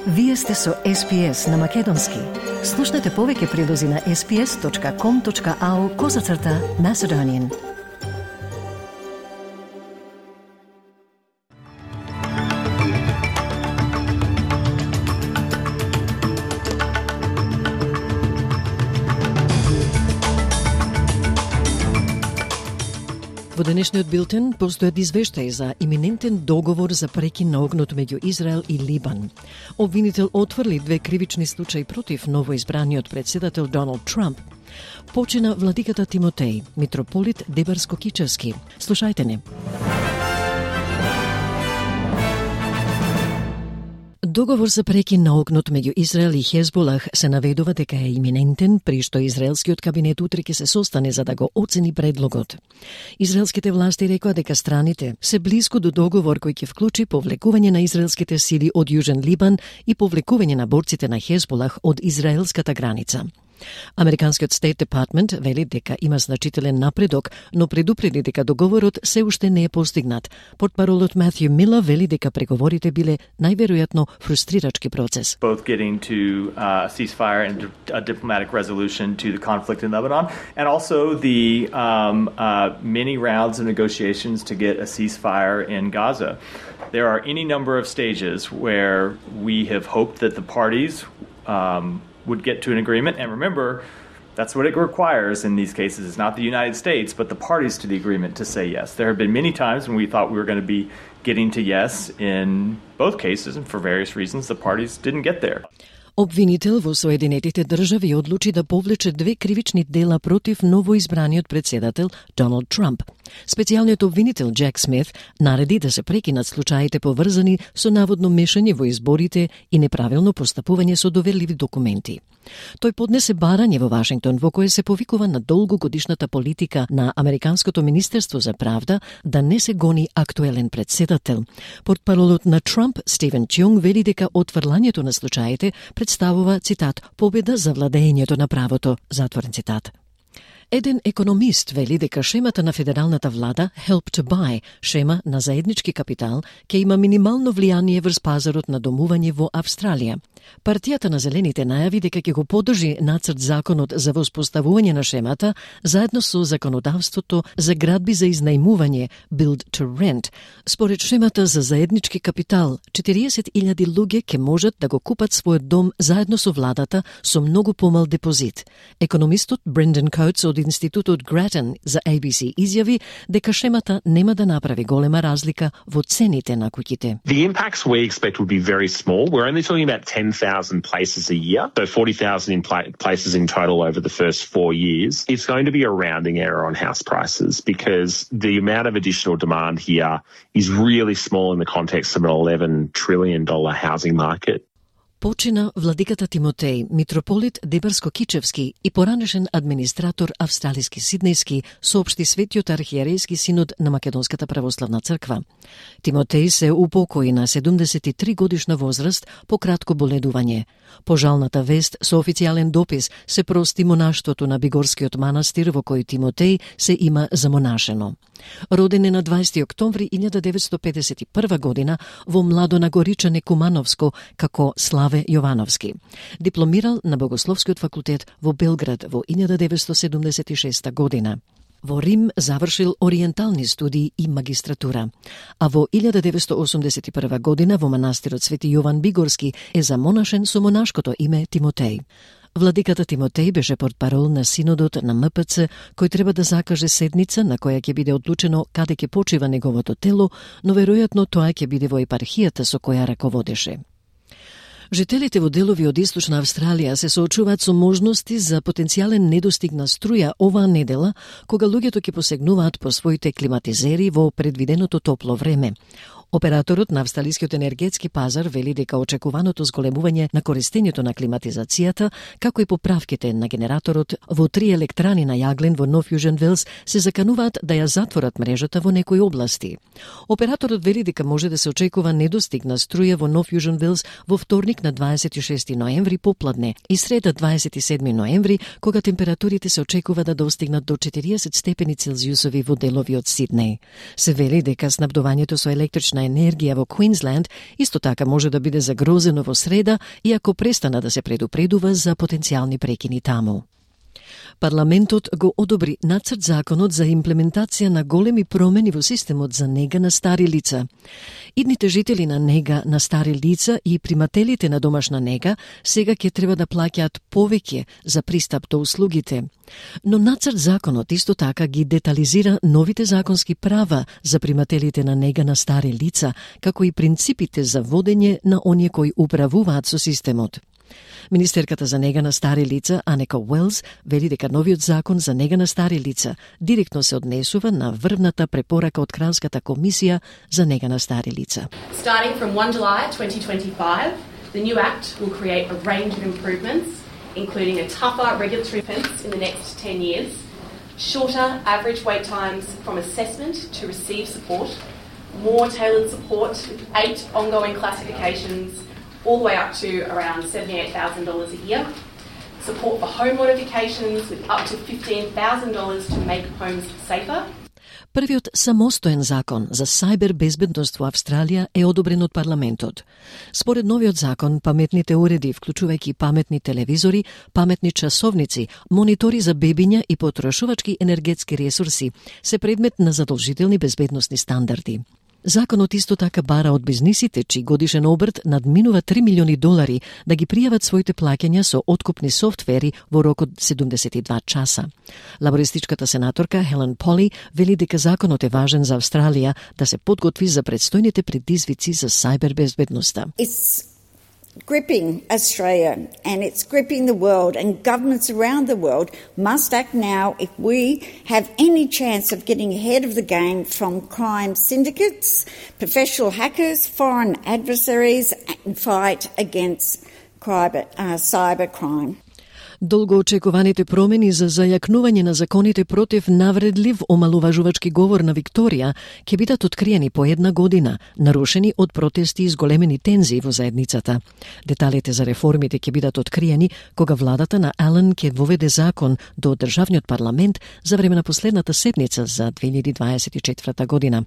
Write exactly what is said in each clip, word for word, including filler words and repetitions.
Вие сте со Ес Би Ес на Македонски. Слушнете повеќе прилози на ес би ес точка ком точка ау козацрта Macedonian. Во денешниот билтен постојат извештаи за иминентен договор за прекин на огнот меѓу Израел и Либан. Обвинител отфрли две кривични случаи против новоизбраниот председател Доналд Трамп. Почина владиката Тимотеј, митрополит Дебарско-Кичевски. Слушајте не. Договор за прекин на огнот меѓу Израел и Хезболах се наведува дека е иминентен, при што израелскиот кабинет утре ќе се состане за да го оцени предлогот. Израелските власти рекоа дека страните се близко до договор кој ќе вклучи повлекување на израелските сили од Јужен Либан и повлекување на борците на Хезболах од израелската граница. Американскиот State Department вели дека има значителен напредок, но предупреди дека договорот се уште не е постигнат. Портпаролот Матју Милер вели дека преговорите биле најверојатно фрустрирачки процес. Both getting to uh, ceasefire and a diplomatic resolution to the conflict in Lebanon, and also the um, uh, many rounds of negotiations to get a ceasefire in Gaza. There are any number of stages where we have hoped that the parties um, would get to an agreement. And remember, that's what it requires in these cases. It's not the United States, but the parties to the agreement to say yes. There have been many times when we thought we were going to be getting to yes in both cases, and for various reasons, the parties didn't get there. Обвинител во Соединетите држави одлучи да повлече две кривични дела против новоизбраниот председател Доналд Трамп. Специјалниот обвинител Джек Смит нареди да се прекинат случаите поврзани со наводно мешање во изборите и неправилно постапување со доверливи документи. Тој поднесе барање во Вашингтон во кое се повикува на долгогодишната политика на Американското министерство за правда да не се гони актуелен председател. Портпаролот на Трамп Стивен Чунг вели дека отфрлањето на случаите представува, цитат, победа за владењето на правото, затворен цитат. Еден економист вели дека шемата на федералната влада Help to Buy, шема на заеднички капитал, ќе има минимално влијание врз пазарот на домување во Австралија. Партијата на Зелените најави дека ќе го поддржи нацрт законот за воспоставување на шемата заедно со законодавството за градби за изнајмување Build to Rent. Според шемата за заеднички капитал, четириесет илјади луѓе ќе можат да го купат својот дом заедно со владата со многу помал депозит. Економистот Брендан Коутс од Институтот Grattan за A B C изјави дека шемата нема да направи голема разлика во цените на куќите. The impacts we expect would be very small. We're only talking about ten thousand places a year, so forty thousand in pla- places in total over the first four years. It's going to be a rounding error on house prices because the amount of additional demand here is really small in the context of an eleven trillion dollars housing market. Почина владиката Тимотеј, митрополит Дебарско-Кичевски и поранешен администратор австралиски Сиднејски, соопшти Светиот архиерејски синод на Македонската православна црква. Тимотеј се упокои на седумдесет и три годишна возраст по кратко боледување. По жалната вест со официјален допис се прости монаштвото на Бигорскиот манастир во кој Тимотеј се има замонашено. Роден е на дваесети октомври илјада деветстотини педесет и прва година во Младонагоричане Кумановско како Славе Јовановски. Дипломирал на Богословскиот факултет во Белград во илјада деветстотини седумдесет и шеста година. Во Рим завршил ориентални студии и магистратура, а во илјада деветстотини осумдесет и прва година во манастирот Свети Јован Бигорски е замонашен со монашкото име Тимотеј. Владиката Тимотеј беше портпарол на синодот на М П Ц, кој треба да закаже седница на која ќе биде одлучено каде ќе почива неговото тело, но веројатно тоа ќе биде во епархијата со која раководеше. Жителите во делови од Источна Австралија се соочуваат со можности за потенцијален недостиг на струја оваа недела, кога луѓето ќе посегнуваат по своите климатизери во предвиденото топло време. Операторот на австралискиот енергетски пазар вели дека очекуваното зголемување на користењето на климатизацијата, како и поправките на генераторот во три електрани на јаглен во Нов Јужен Велс се закануваат да ја затворат мрежата во некои области. Операторот вели дека може да се очекува недостиг на струја во Нов Јужен Велс во вторник на дваесет и шести ноември попладне и среда дваесет и седми ноември, кога температурите се очекува да достигнат до четириесет степени Целзиусови во делови од Сиднеј. Се вели дека снабдувањето со електрична на енергија во Квинсленд исто така може да биде загрозено во среда, иако престана да се предупредува за потенцијални прекини таму. Парламентот го одобри нацрт законот за имплементација на големи промени во системот за нега на стари лица. Идните жители на нега на стари лица и примателите на домашна нега сега ќе треба да плаќаат повеќе за пристап до услугите. Но нацрт законот исто така ги детализира новите законски права за примателите на нега на стари лица, како и принципите за водење на оние кои управуваат со системот. Министерката за нега на стари лица, Анека Уелс, вели дека новиот закон за нега на стари лица директно се однесува на врвната препорака од Кралската комисија за нега на стари лица. Starting from first of July twenty twenty-five, the new act will create a range of improvements, including a tougher regulatory fence in the next ten years, shorter average wait times from assessment to receive support, more tailored support with eight ongoing classifications, all the way up to around seventy-eight thousand dollars a year, support for home modifications with up to fifteen thousand dollars to make homes safer. Првиот самостоен закон за сајбер безбедност во Австралија е одобрен од парламентот. Според новиот закон, паметните уреди, вклучувајќи паметни телевизори, паметни часовници, монитори за бебиња и потрошувачки енергетски ресурси, се предмет на задолжителни безбедносни стандарди. Законот исто така бара од бизнисите, чиј годишен обрт надминува три милиони долари, да ги пријават своите плаќања со откупни софтвери во рок од седумдесет и два часа. Лабористичката сенаторка Хелен Поли вели дека законот е важен за Австралија да се подготви за предстојните предизвици за сајбер безбедноста. It's gripping Australia and it's gripping the world, and governments around the world must act now if we have any chance of getting ahead of the game from crime syndicates, professional hackers, foreign adversaries, and fight against cyber, uh, cyber crime. Долгоочекуваните промени за зајакнување на законите против навредлив омалуважувачки говор на Викторија ќе бидат откриени по една година, нарушени од протести и зголемени тензии во заедницата. Деталите за реформите ќе бидат откриени кога владата на Ален ќе воведе закон до државниот парламент за време на последната седница за две илјади дваесет и четврта година.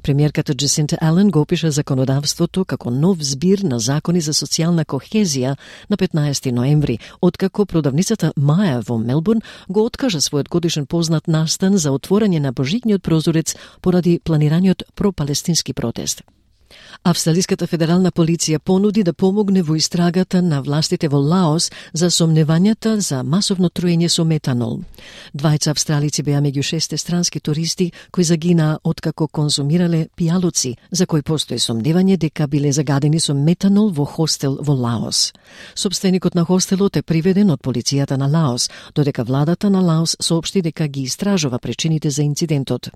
Премиерката Джесинта Ален го опиша законодавството како нов збир на закони за социјална кохезија на петнаесети ноември, откако продавницата Маја во Мелбурн го откажа својот годишен познат настан за отворање на божигниот прозорец поради планираниот пропалестински протест. Австралиската федерална полиција понуди да помогне во истрагата на властите во Лаос за сомневањата за масовно труење со метанол. Двајца австралици беа меѓу шесте странски туристи кои загинаа откако конзумирале пијалуци, за кои постои сомневање дека биле загадени со метанол во хостел во Лаос. Собственикот на хостелот е приведен од полицијата на Лаос, додека владата на Лаос соопшти дека ги истражува причините за инцидентот.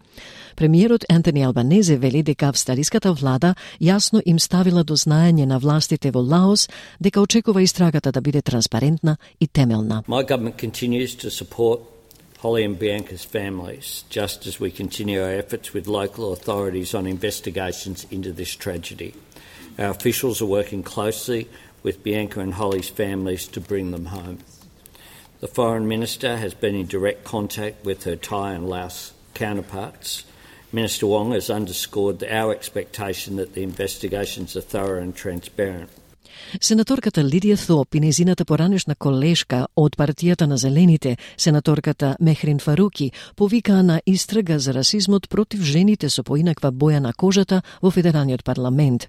Премиерот Ентони Албанезе вели дека австралиската влада јасно им ставила до знаење на властите во Лаос дека очекува истрагата да биде транспарентна и темелна. My government continues to support Holly and Bianca's families, just as we continue our efforts with local authorities on investigations into this tragedy. Our officials are working closely with Bianca and Holly's families to bring them home. The Foreign Minister has been in direct contact with her Thai and Laos counterparts. Minister Wong has underscored our expectation that the investigations are thorough and transparent. Сенаторката Лидија Thope и незината поранешна колешка од партијата на Зелените, сенаторката Мехрин Фаруки, повикаа на истрага за расизмот против жените со поинаква боја на кожата во Федералниот парламент.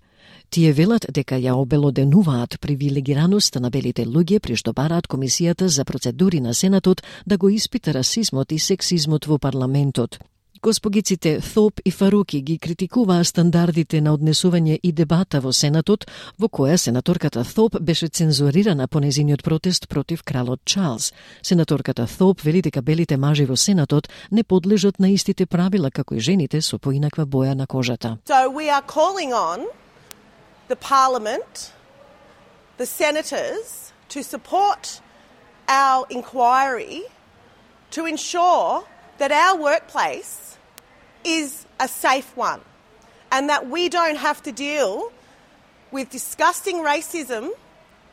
Тие велат дека ја обелоденуваат привилегираноста на белите луѓе при што бараат Комисијата за процедури на Сенатот да го испита расизмот и сексизмот во парламентот. Госпогиците Thope и Фаруки ги критикуваа стандардите на однесување и дебата во Сенатот, во која сенаторката Thope беше цензурирана по незиниот протест против кралот Чарлс. Сенаторката Thope вели дека белите мажи во Сенатот не подлежат на истите правила како и жените со поинаква боја на кожата. So we are calling on the Parliament, the Senators, to support our inquiry to ensure that our workplace is a safe one and that we don't have to deal with disgusting racism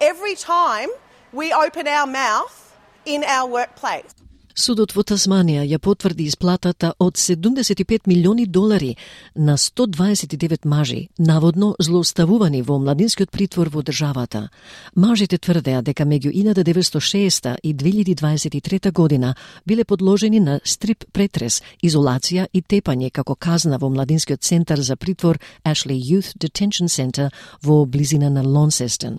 every time we open our mouth in our workplace. Судот во Тасманија ја потврди исплатата од седумдесет и пет милиони долари на сто дваесет и девет мажи, наводно злоставувани во младинскиот притвор во државата. Мажите тврдеа дека меѓу илјада деветстотини и шеста и две илјади дваесет и трета година биле подложени на стрип претрес, изолација и тепање како казна во младинскиот центар за притвор Ashley Youth Detention Center во близина на Лонсестон.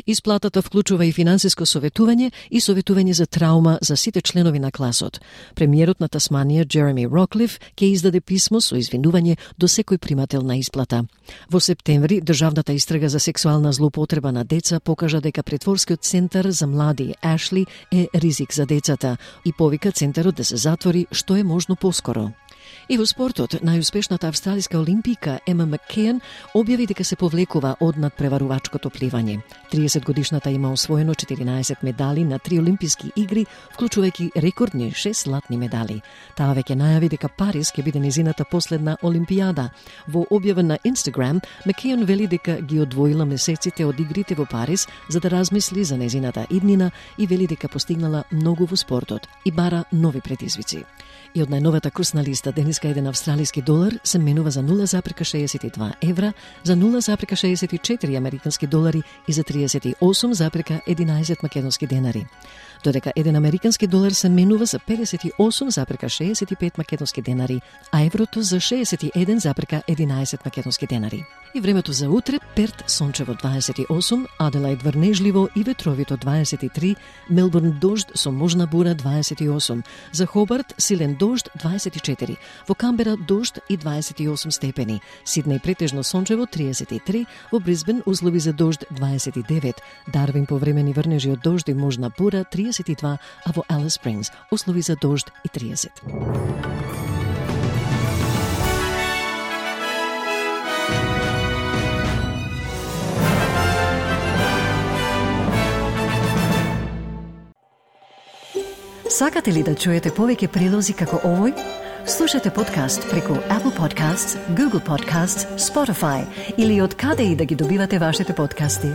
Исплатата вклучува и финансиско советување и советување за траума за сите членови на класот. Премиерот на Тасманија, Джереми Роклиф, ќе издаде писмо со извинување до секој примател на исплата. Во септември, државната истрага за сексуална злоупотреба на деца покажа дека притворскиот центар за млади Ашли е ризик за децата и повика центарот да се затвори што е можно поскоро. И во спортот, најуспешната австралиска олимпика Ема Маккејн објави дека се повлекува од надпреварувачкото пливање. триесет годишната има освоено четиринаесет медали на три олимписки игри, вклучувајќи рекордни шест златни медали. Таа веќе најави дека Париз ќе биде незината последна олимпијада. Во објава на Инстаграм, Маккејн вели дека ги одвоила месеците од игрите во Париз за да размисли за незината иднина и вели дека постигнала многу во спортот и бара нови предизвици. И од најновата курсна листа денеска еден австралиски долар се менува за нула запирка шеесет и два евра, за нула запирка шеесет и четири американски долари и за триесет и осум запирка единаесет македонски денари. Додека еден американски долар се менува за педесет и осум запирка шеесет и пет македонски денари, а еврото за шеесет и еден запирка единаесет македонски денари. И времето за утре: Перт сончево дваесет и осум, Аделаид врнежливо и ветровито дваесет и три, Мелбурн дожд со можна бура дваесет и осум, за Хобарт силен дожд дваесет и четири, во Камбера дожд и дваесет и осум степени, Сиднеј претежно сончево триесет и три, во Брисбен услови за дожд дваесет и девет, Дарвин повремени врнежи од дожд и можна бура триесет и два, а во Алис Спрингс услови за дожд и триесет. Сакате ли да чуете повеќе прилози како овој? Слушате подкаст преку Apple Podcasts, Google Podcasts, Spotify или од каде и да ги добивате вашите подкасти.